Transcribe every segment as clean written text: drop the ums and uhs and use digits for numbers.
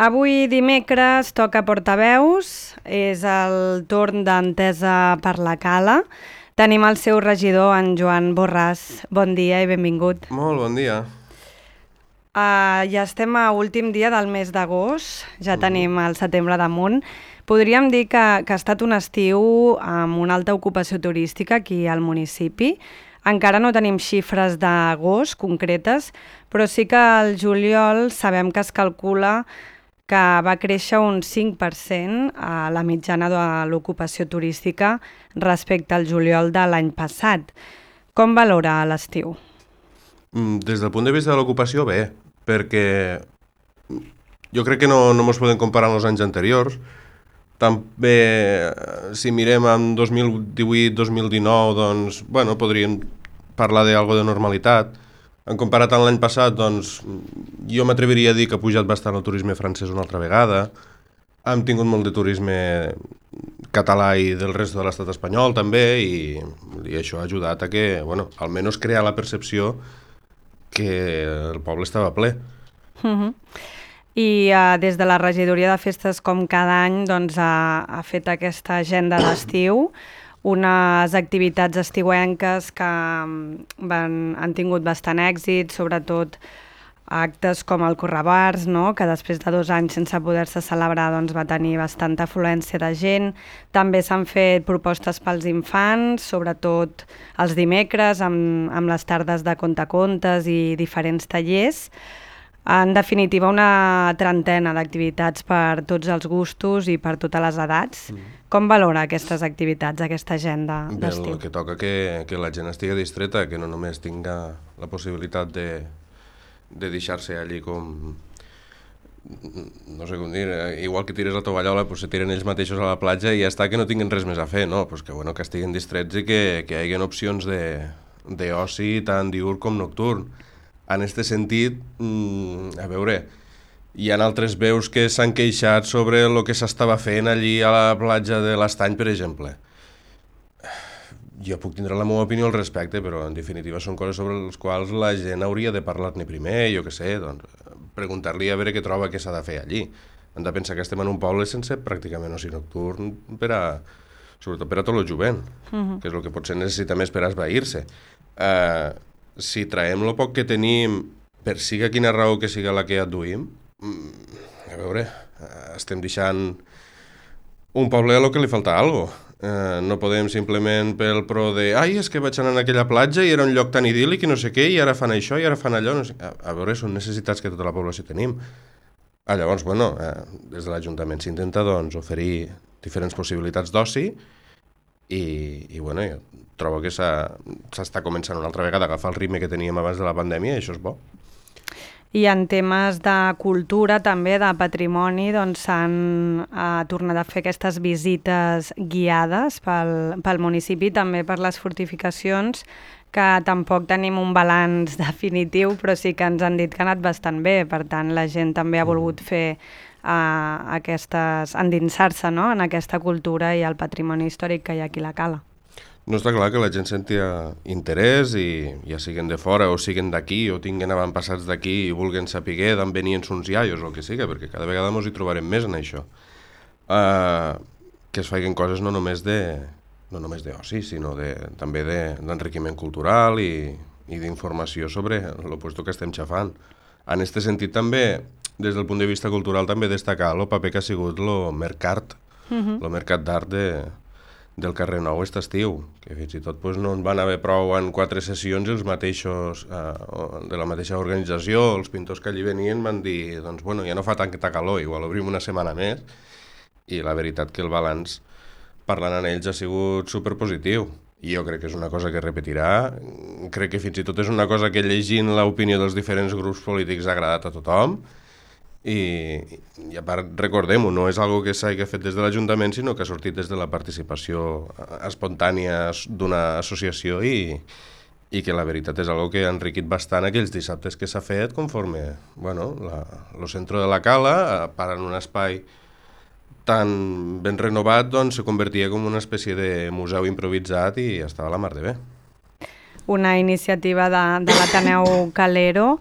Avui dimecres toca portaveus, és el torn d'Entesa per la Cala. Tenim el seu regidor, en Joan Borràs. Bon dia i benvingut. Molt bon dia. Ja estem a últim dia del mes d'agost, ja tenim el setembre damunt. Podríem dir que ha estat un estiu amb una alta ocupació turística aquí al municipi. Encara no tenim xifres d'agost concretes, però sí que al juliol sabem que es calcula que va créixer un 5% a la mitjana de l'ocupació turística respecte al juliol de l'any passat. Com valora l'estiu? Des del punt de vista de l'ocupació, bé, perquè jo crec que no ens podem comparar amb els anys anteriors. També, si mirem en 2018-2019, doncs, bueno, podríem parlar d'algo de normalitat. En comparat amb l'any passat, doncs, jo m'atreviria a dir que ha pujat bastant el turisme francès una altra vegada. Hem tingut molt de turisme català i del resto de l'estat espanyol, també, i això ha ajudat a que, bueno, almenys crear la percepció que el poble estava ple. I des de la regidoria de festes, com cada any, doncs, ha fet aquesta agenda d'estiu, unes activitats estiuenques que han tingut bastant èxit, sobretot actes com el Correbars, no? Que després de 2 anys sense poder-se celebrar doncs, va tenir bastanta afluència de gent. També s'han fet propostes pels infants, sobretot els dimecres, amb les tardes de contacontes i diferents tallers. En definitiva, una trentena d'activitats per tots els gustos i per totes les edats. Com valora aquestes activitats, aquesta agenda d'estiu? Bé, el que toca que la gent estigui distreta, que no només tinga la possibilitat de deixar-se allí com... no sé com dir, igual que tires la tovallola, pues se tiren ells mateixos a la platja i ja està, que no tinguin res més a fer, no? Pues que estiguin distrets i que hi hagi opcions d'oci tant diürn com nocturn. En aquest sentit, a veure, hi ha altres veus que s'han queixat sobre el que s'estava fent allí a la platja de l'Estany, per exemple. Jo puc tindre la meva opinió al respecte, però en definitiva són coses sobre les quals la gent hauria de parlar-ne primer, jo què sé, doncs, preguntar-li a veure què troba que s'ha de fer allí. Hem de pensar que estem en un poble sense pràcticament oci nocturn sobretot per a tot el jovent, que és el que potser necessita més per esvair-se. Si traiem el poc que tenim, per siga quina raó que siga la que adduïm, a veure, estem deixant un poble a lo que li falta algo. No podem simplement pel pro de és que vaig anar a aquella platja i era un lloc tan idíl·lic i no sé què, i ara fan això i ara fan allò. No sé. A veure, són necessitats que tota la població tenim. Llavors, bueno, des de l'Ajuntament s'intenta doncs, oferir diferents possibilitats d'oci i bueno, jo trobo que s'està començant una altra vegada a agafar el ritme que teníem abans de la pandèmia i això és bo. I en temes de cultura, també de patrimoni, doncs s'han tornat a fer aquestes visites guiades pel municipi, també per les fortificacions, que tampoc tenim un balanç definitiu, però sí que ens han dit que ha anat bastant bé. Per tant, la gent també ha volgut fer endinsar-se, no?, en aquesta cultura i el patrimoni històric que hi ha aquí a la Cala. No està clar que la gent sentia interès i ja siguen de fora o siguen d'aquí o tinguin avantpassats d'aquí i vulguin saber d'on venien uns iaios o el que siga, perquè cada vegada ens hi trobarem més en això. Que es facin coses no només d'oci, sinó també d'enriquiment cultural i d'informació sobre el puesto que estem xafant. En aquest sentit també, des del punt de vista cultural, també destacar el paper que ha sigut el mercat d'art del carrer Nou aquest estiu, que fins i tot no en van haver prou en 4 sessions i els mateixos de la mateixa organització, els pintors que allí venien van dir, doncs bueno, ja no fa tanta calor, igual obrim una setmana més, i la veritat que el balanç parlant amb ells ha sigut superpositiu. I jo crec que és una cosa que repetirà, crec que fins i tot és una cosa que llegint l'opinió dels diferents grups polítics ha agradat a tothom, i a part, recordem-ho, no és algo que s'hagi fet des de l'Ajuntament, sinó que ha sortit des de la participació espontània d'una associació i que la veritat és algo que ha enriquit bastant aquells dissabtes que s'ha fet conforme, bueno, el centre de la Cala, part en un espai tan ben renovat, doncs se convertia com una espècie de museu improvisat i estava a la mar de bé. una iniciativa de l'Ateneu Calero.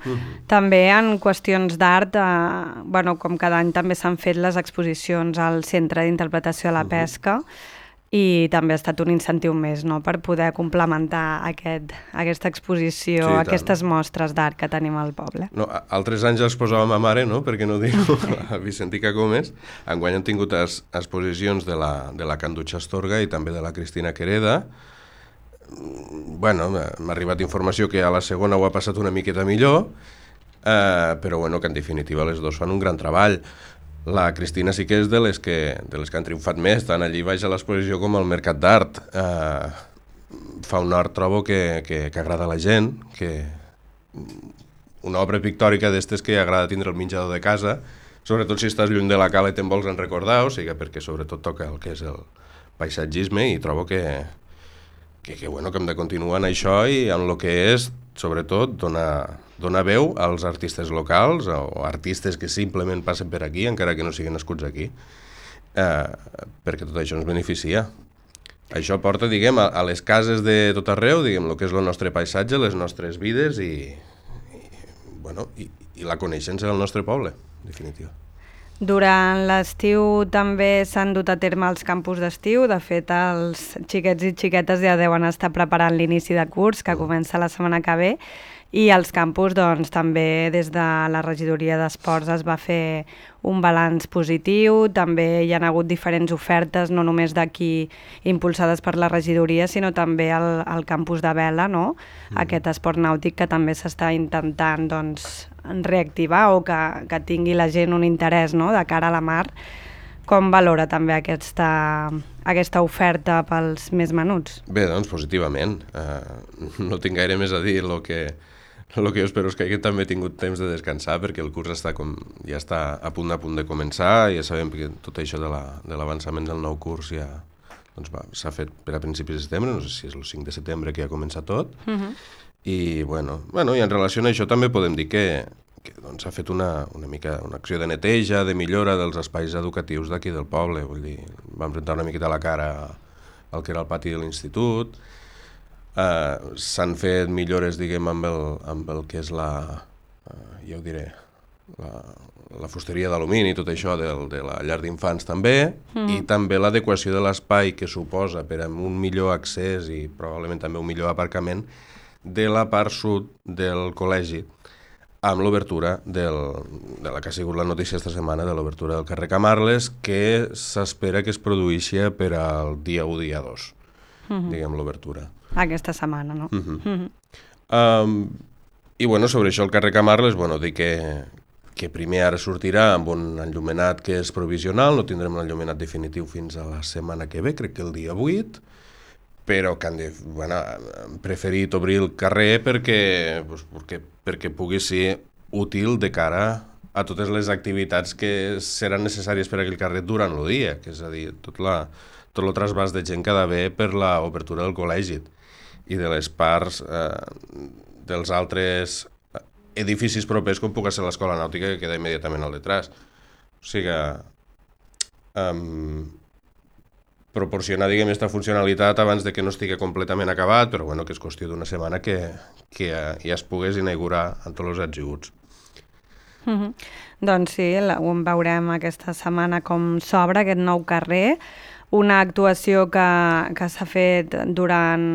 També en qüestions d'art, com cada any també s'han fet les exposicions al Centre d'Interpretació de la Pesca, i també ha estat un incentiu més, no?, per poder complementar aquesta exposició, Sí, aquestes mostres d'art que tenim al poble. No, altres anys els posàvem a mare, no?, per què no dir-ho, a Vicentica Gómez. Enguany han tingut exposicions de la Candutxa Astorga i també de la Cristina Quereda. Bueno, m'ha arribat informació que a la segona ho ha passat una miqueta millor, però bueno, que en definitiva les dos fan un gran treball. La Cristina sí que és de les que han triomfat més, tant allí baix a l'exposició com al Mercat d'Art. Fa un art, trobo, que agrada a la gent, que una obra pictòrica d'estes que agrada tindre el menjador de casa, sobretot si estàs lluny de la cala i te'n vols en recordar, o sigui, perquè sobretot toca el que és el paisatgisme, i trobo que hem de continuar en això i en el que és, sobretot, donar veu als artistes locals o artistes que simplement passen per aquí, encara que no siguin nascuts aquí, perquè tot això ens beneficia. Això porta, diguem, a les cases de tot arreu, diguem, el que és el nostre paisatge, les nostres vides i la coneixença del nostre poble, en definitiva. Durant l'estiu també s'han dut a terme els campus d'estiu. De fet, els xiquets i xiquetes ja deuen estar preparant l'inici de curs, que comença la setmana que ve, i als campus doncs, també des de la regidoria d'esports es va fer un balanç positiu. També hi ha hagut diferents ofertes, no només d'aquí impulsades per la regidoria, sinó també al campus de Vela, no? Aquest esport nàutic que també s'està intentant doncs, reactivar o que tingui la gent un interès, no?, de cara a la mar. Com valora també aquesta oferta pels més menuts? Bé, doncs positivament. No tinc gaire més a dir. El que jo espero és que també he tingut temps de descansar, perquè el curs ja està a punt de començar. Ja sabem que tot això de l'avançament del nou curs ja s'ha fet per a principis de setembre, no sé si és el 5 de setembre que ja comença tot. I i en relació a això també podem dir que s'ha fet una acció de neteja, de millora dels espais educatius d'aquí del poble. Vull dir, vam rentar una miqueta la cara al que era el pati de l'institut. S'han fet millores, diguem, amb el que és la fusteria d'alumini i tot això de la llar d'infants també, i també l'adequació de l'espai que suposa per a un millor accés i probablement també un millor aparcament de la part sud del col·legi, amb l'obertura de la que ha sigut la notícia esta setmana, de l'obertura del carrer Camarles, que s'espera que es produeixi per al dia 1, dia 2, diguem, l'obertura. Aquesta setmana, no? I sobre això el carrer Camarles, dir que primer ara sortirà amb un enllumenat que és provisional, no tindrem l'enllumenat definitiu fins a la setmana que ve, crec que el dia 8, però que han preferit obrir el carrer perquè pugui ser útil de cara a totes les activitats que seran necessàries per a aquell carrer durant el dia, que és a dir, tot el trasbàs de gent que ha d'haver per l'obertura del col·legi i de les parts dels altres edificis propers, com pugui ser l'escola nàutica, que queda immediatament al detrás. O sigui, proporcionar, diguem, aquesta funcionalitat abans de que no estigui completament acabat, però que és qüestió d'una setmana que ja es pogués inaugurar amb tots els atributs. Doncs sí, ho veurem aquesta setmana com s'obre aquest nou carrer, una actuació que s'ha fet durant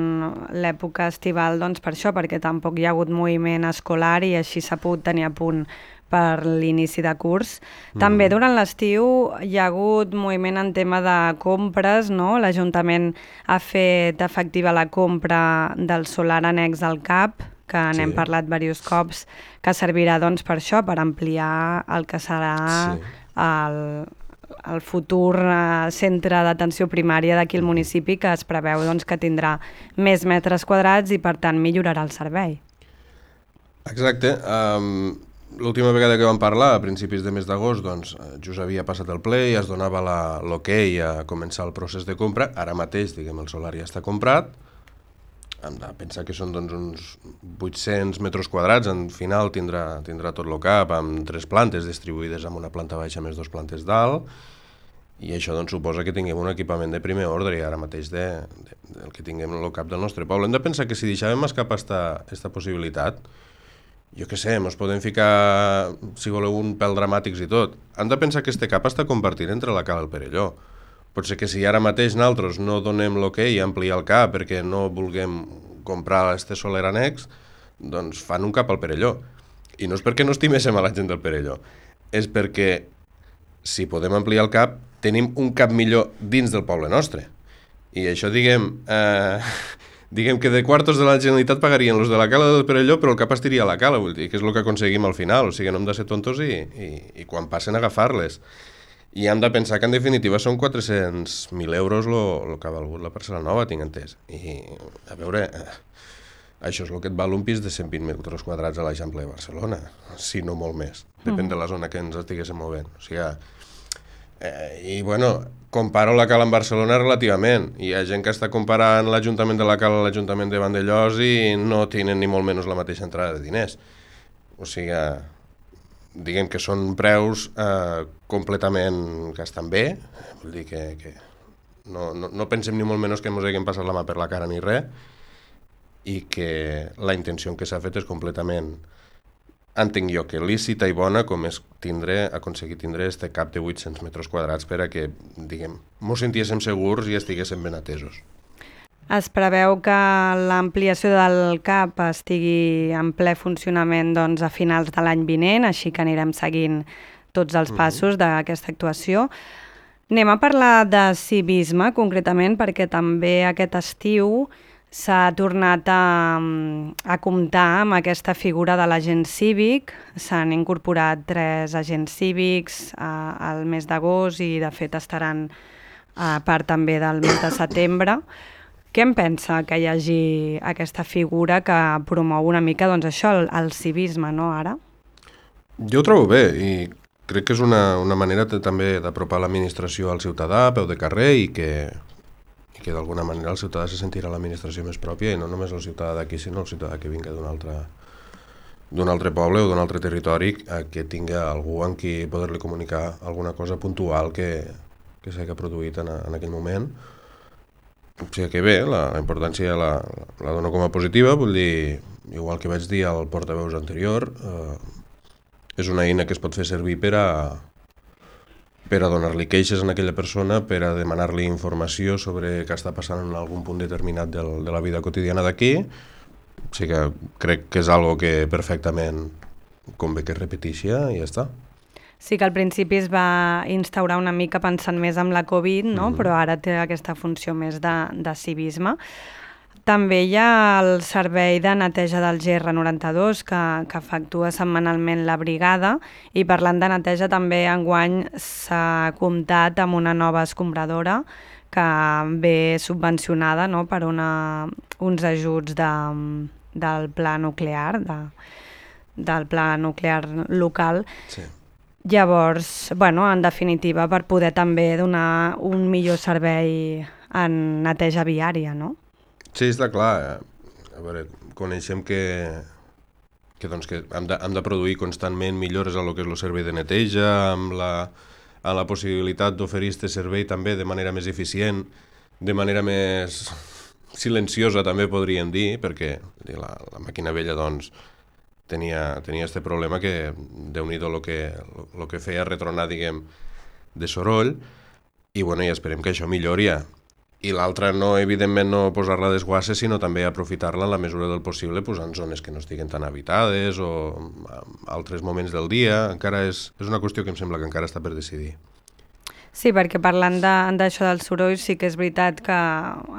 l'època estival, doncs per això, perquè tampoc hi ha hagut moviment escolar i així s'ha pogut tenir a punt per l'inici de curs. També durant l'estiu hi ha hagut moviment en tema de compres, no? L'Ajuntament ha fet efectiva la compra del solar annex al CAP, que n'hem parlat diversos cops, que servirà doncs per això, per ampliar el que serà el futur centre d'atenció primària d'aquí al municipi, que es preveu doncs, que tindrà més metres quadrats i per tant millorarà el servei. Exacte. L'última vegada que vam parlar, a principis de mes d'agost, doncs, just havia passat el ple i es donava l'ok a començar el procés de compra. Ara mateix, diguem, el solar ja està comprat. Hem de pensar que són doncs, uns 800 metres quadrats. En final tindrà tot el CAP amb 3 plantes distribuïdes amb una planta baixa més 2 plantes dalt. I això doncs, suposa que tinguem un equipament de primer ordre i ara mateix del que tinguem en el cap del nostre poble. Hem de pensar que si deixàvem escapar esta possibilitat, jo què sé, ens podem ficar, si voleu, un pèl dramàtics i tot. Hem de pensar que este cap està compartit entre la Cala i el Perelló. Pot ser que si ara mateix nosaltres no donem l'okei a ampliar el cap perquè no vulguem comprar este soler annex, doncs fan un cap al Perelló. I no és perquè no estiméssim a la gent del Perelló, és perquè si podem ampliar el cap, tenim un cap millor dins del poble nostre. I això, diguem que de quartos de la Generalitat pagarien els de la Cala del Perelló, però el cap estiria a la Cala, vull dir, que és el que aconseguim al final. O sigui, no hem de ser tontos i quan passen a agafar-les. I hem de pensar que en definitiva són 400.000 euros el que ha valgut la parcel·la nova, tinc entès. I a veure, això és el que et val un pis de 120 metres quadrats a l'Eixample de Barcelona, si no molt més. Depèn de la zona que ens estiguéssim movent. O sigui, i bueno, comparo la Cala amb Barcelona relativament. Hi ha gent que està comparant l'Ajuntament de la Cala a l'Ajuntament de Vandellòs i no tenen ni molt menys la mateixa entrada de diners. O sigui, diguem que són preus completament que estan bé, vull dir que no pensem ni molt menys que ens haguem passat la mà per la cara ni res, i que la intenció que s'ha fet és completament, entenc jo, que lícita i bona, com és aconseguir tindre este cap de 800 metres quadrats per a que, diguem, mos sentíssim segurs i estiguéssim ben atesos. Es preveu que l'ampliació del CAP estigui en ple funcionament doncs, a finals de l'any vinent, així que anirem seguint tots els passos d'aquesta actuació. Anem a parlar de civisme, concretament, perquè també aquest estiu s'ha tornat a comptar amb aquesta figura de l'agent cívic. S'han incorporat 3 agents cívics al mes d'agost i, de fet, estaran a part també del mes de setembre. Què en pensa que hi hagi aquesta figura que promou una mica doncs, això, el civisme, no, ara? Jo ho trobo bé i crec que és una manera també d'apropar l'administració al ciutadà a peu de carrer i que d'alguna manera el ciutadà se sentirà l'administració més pròpia i no només el ciutadà d'aquí, sinó el ciutadà que vinga d'un altre poble o d'un altre territori que tinga algú amb qui poder-li comunicar alguna cosa puntual que s'hagi produït en aquell moment. O sigui que bé, la importància la dono com a positiva, vull dir, igual que vaig dir al portaveus anterior, és una eina que es pot fer servir per a donar-li queixes a aquella persona, per a demanar-li informació sobre què està passant en algun punt determinat de la vida quotidiana d'aquí. O sigui que crec que és algo que perfectament convé que es repeteixi i ja està. Sí que al principi es va instaurar una mica pensant més en la Covid, no? Però ara té aquesta funció més de civisme. També hi ha el servei de neteja del GR92 que efectua setmanalment la brigada i parlant de neteja també enguany s'ha comptat amb una nova escombradora que ve subvencionada, no? Per uns ajuts del pla nuclear, del pla nuclear local. Sí. Llavors, bueno, en definitiva, per poder també donar un millor servei en neteja viària, no? Sí, està clar. A veure, coneixem que hem de produir constantment millores a lo que és el servei de neteja, amb la possibilitat d'oferir aquest servei també de manera més eficient, de manera més silenciosa també podríem dir, perquè la màquina vella doncs tenia este problema que déu-n'hi-do lo que feia retronar, diguem, de soroll, i bueno, ja esperem que això millori. I l'altra, evidentment, no posar-la a desguasses, sinó també aprofitar-la en la mesura del possible en zones que no estiguen tan habitades o en altres moments del dia. Encara és una qüestió que em sembla que encara està per decidir. Sí, perquè parlant d'això del soroll, sí que és veritat que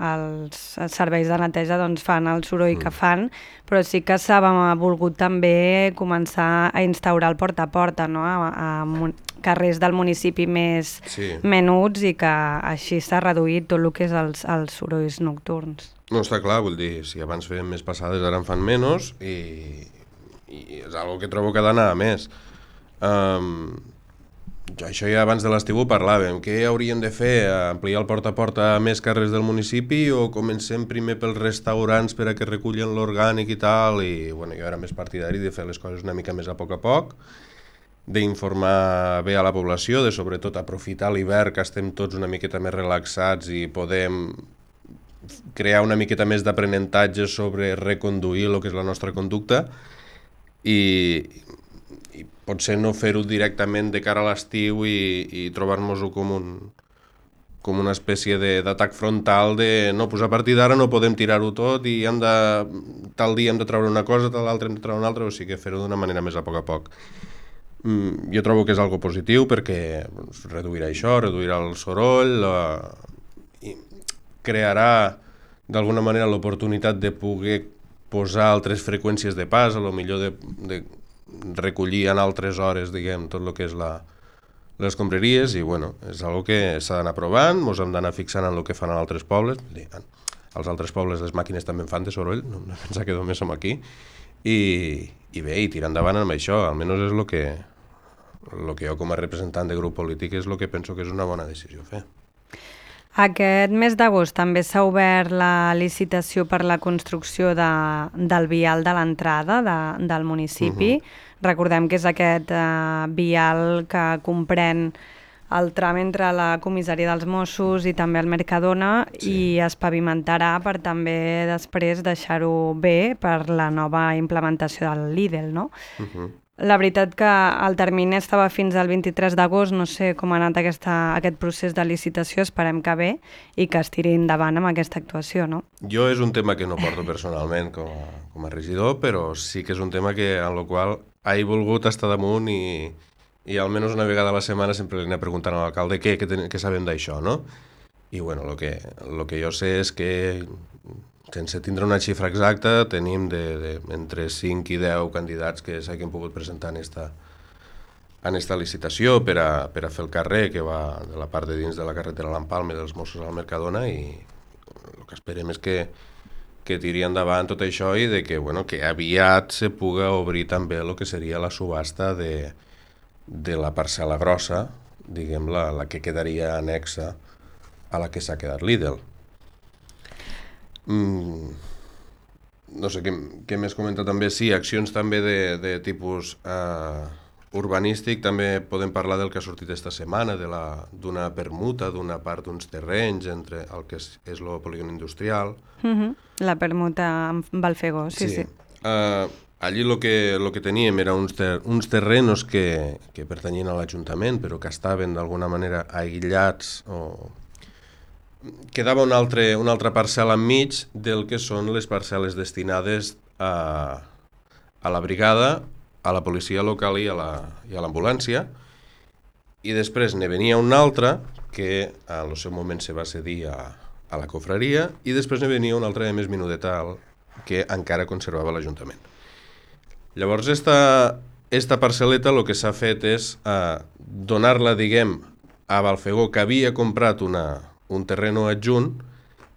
els serveis de neteja doncs, fan el soroll que fan, però sí que s'ha volgut també començar a instaurar el porta a porta, no? A carrers del municipi més menuts i que així s'ha reduït tot el que és els sorolls nocturns. No, està clar, vull dir, si abans feien més passades, ara en fan menys i és una que trobo que ha d'anar a més. Això ja abans de l'estiu ho parlàvem. Què hauríem de fer? Ampliar el porta a porta a més carrers del municipi o comencem primer pels restaurants per a que recullen l'orgànic i tal? I bueno, jo era més partidari de fer les coses una mica més a poc d'informar bé a la població, de sobretot aprofitar l'hivern, que estem tots una miqueta més relaxats i podem crear una miqueta més d'aprenentatge sobre reconduir el que és la nostra conducta i potser no fer-ho directament de cara a l'estiu i trobar-nos-ho com una espècie d'atac frontal de no, doncs a partir d'ara no podem tirar-ho tot i tal dia hem de treure una cosa, tal altre hem de treure una altra, o sigui que fer-ho d'una manera més a poc. Jo trobo que és algo positiu perquè reduirà això, reduirà el soroll, i crearà d'alguna manera l'oportunitat de poder posar altres freqüències de pas, a lo millor de recollir en altres hores, diguem, tot el que és les escombraries, i bueno, és algo que s'ha d'anar provant, ens hem d'anar fixant en el que fan en altres pobles. Als altres pobles les màquines també fan de soroll, no hem de pensar que només som aquí, i bé, i tirar endavant amb això, almenys és el que jo com a representant de grup polític és el que penso que és una bona decisió fer. Aquest mes d'agost també s'ha obert la licitació per la construcció del vial de l'entrada del municipi. Recordem que és aquest vial que comprèn el tram entre la comissaria dels Mossos i també el Mercadona, i es pavimentarà per també després deixar-ho bé per la nova implementació del Lidl, no? La veritat que el termini estava fins al 23 d'agost, no sé com ha anat aquest procés de licitació, esperem que bé i que es tiri endavant amb aquesta actuació, no? Jo és un tema que no porto personalment com a regidor, però sí que és un tema en el qual he volgut estar damunt i almenys una vegada a la setmana sempre li anem preguntant a l'alcalde què sabem d'això, no? I bueno, el que jo sé és que sense tindre una xifra exacta, tenim entre 5 i 10 candidats que s'hagin pogut presentar en esta licitació per a fer el carrer que va de la part de dins de la carretera l'Empalme dels Mossos al Mercadona, i el que esperem és que tiri endavant tot això i que aviat se puga obrir també el que seria la subhasta de la parcel·la grossa, diguem la que quedaria anexa a la que s'ha quedat Lidl. No sé, què més comenta també? Sí, accions també de tipus urbanístic, també podem parlar del que ha sortit esta setmana, d'una permuta d'una part d'uns terrenys entre el que és el polígon industrial. La permuta amb Balfegó, sí. Allí el que teníem era uns terrenos que pertanyien a l'Ajuntament, però que estaven d'alguna manera aïllats o quedava una altra parcel·la enmig del que són les parcel·les destinades a la brigada, a la policia local i a l'ambulància, i després ne venia una altra que en el seu moment se va cedir a la cofreria, i després ne venia una altra més minudeta que encara conservava l'Ajuntament. Llavors, esta parcel·leta el que s'ha fet és donar-la, diguem, a Balfegó, que havia comprat un terreno adjunt,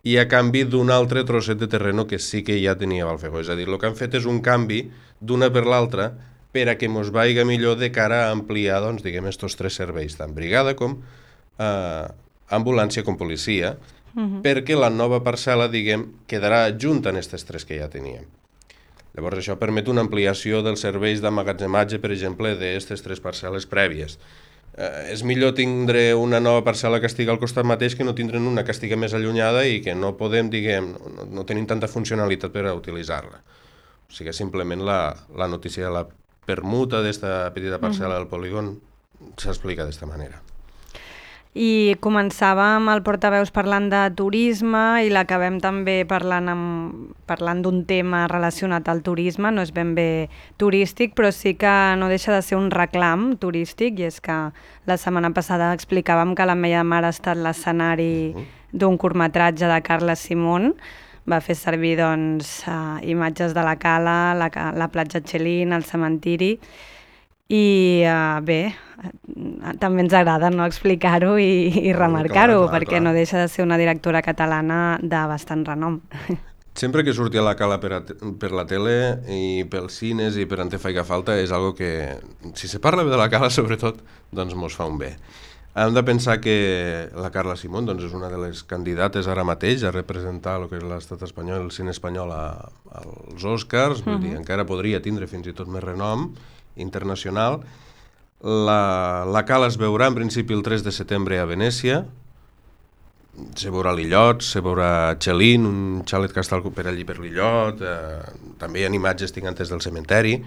i a canvi d'un altre trosset de terreno que sí que ja tenia Balfegó. És a dir, el que han fet és un canvi d'una per l'altra per a que mos vaiga millor de cara a ampliar, doncs, diguem, estos 3 serveis, tant brigada com ambulància com policia, perquè la nova parcel·la, diguem, quedarà adjunta en aquestes 3 que ja teníem. Llavors, això permet una ampliació dels serveis d'emmagatzematge, per exemple, d'aquestes 3 parcel·les prèvies. És millor tindre una nova parcel·la que estigui al costat mateix que no tindre'n una que estigui més allunyada i que no podem, diguem, no tenim tanta funcionalitat per a utilitzar-la. O sigui, simplement la notícia de la permuta d'esta petita parcel·la del polígon s'explica d'esta manera. I començàvem el portaveus parlant de turisme i l'acabem també parlant d'un tema relacionat al turisme. No és ben bé turístic, però sí que no deixa de ser un reclam turístic, i és que la setmana passada explicàvem que l'Ametlla de Mar ha estat l'escenari d'un curtmetratge de Carles Simón. Va fer servir imatges de la cala, la platja Txelín, el cementiri, i bé, també ens agrada explicar-ho i remarcar-ho, perquè no deixa de ser una directora catalana de bastant renom. Sempre que surti a la cala per la tele i pels cines i per on te faiga falta, és algo que, si se parla bé de la cala sobretot, doncs mos fa un bé. Hem de pensar que la Carla Simón és una de les candidates ara mateix a representar el que és l'estat espanyol, el cine espanyol als Oscars, vull dir, encara podria tindre fins i tot més renom internacional, La cala es veurà en principi el 3 de setembre a Venècia, se veurà l'illot, se veurà Xelin, un xalet que està per allí per l'illot, també hi ha imatges tingantes del cementeri.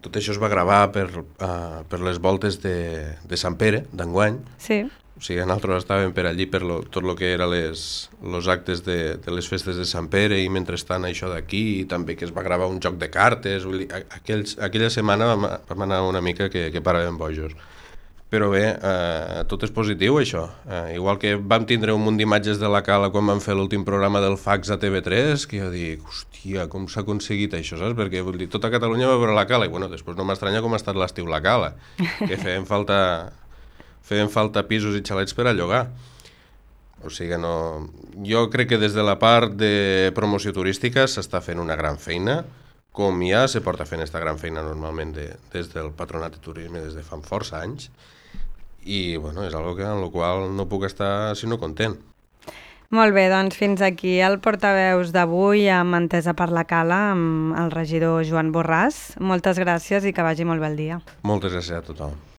Tot això es va gravar per les voltes de Sant Pere, d'enguany. Sí. O sigui, nosaltres estàvem per allí per tot el que eren els actes de les festes de Sant Pere i mentrestant això d'aquí, i també que es va gravar un joc de cartes. Vull dir, aquella setmana vam anar una mica que paràvem bojos. Però bé, tot és positiu, això. Igual que vam tindre un munt d'imatges de la cala quan vam fer l'últim programa del fax a TV3, que jo dic, hòstia, com s'ha aconseguit això, saps? Perquè, vull dir, tota Catalunya va veure la cala, i bueno, després no m'estranya com ha estat l'estiu la cala, que feien falta pisos i xalets per a llogar. O sigui, no... Jo crec que des de la part de promoció turística s'està fent una gran feina, com ja se porta fent aquesta gran feina normalment des del Patronat de Turisme des de fa força anys, i bueno, és algo en el qual no puc estar sinó content. Molt bé, doncs fins aquí el portaveus d'avui amb Entesa per la Cala, amb el regidor Joan Borràs. Moltes gràcies i que vagi molt bé el dia. Moltes gràcies a tothom.